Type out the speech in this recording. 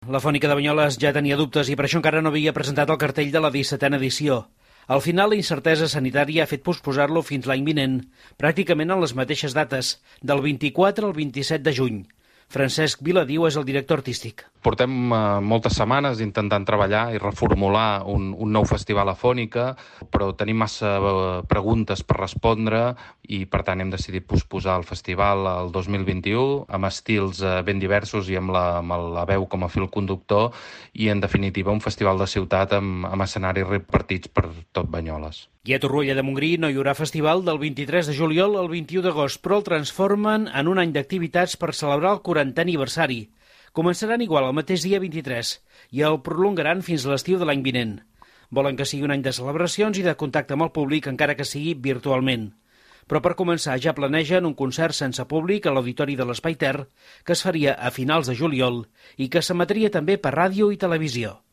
La Fònica de Banyoles ja tenia dubtes i per això encara no havia presentat el cartell de la 17a edició. Al final, la incertesa sanitària ha fet posposar-lo fins l'any vinent, pràcticament en les mateixes dates, del 24 al 27 de juny. Francesc Viladiu és el director artístic. Portem moltes setmanes intentant treballar i reformular un nou festival a Fònica, però tenim massa preguntes per respondre i, per tant, hem decidit posposar el festival al 2021 amb estils ben diversos i amb la veu com a fil conductor i, en definitiva, un festival de ciutat amb escenaris repartits per tot Banyoles. I a Torroella de Montgrí no hi haurà festival del 23 de juliol al 21 d'agost, però el transformen en un any d'activitats per celebrar el 40è aniversari. Començaran igual el mateix dia 23 i el prolongaran fins a l'estiu de l'any vinent. Volen que sigui un any de celebracions i de contacte amb el públic, encara que sigui virtualment. Però per començar ja planegen un concert sense públic a l'Auditori de l'Espai Ter, que es faria a finals de juliol i que s'emetria també per ràdio i televisió.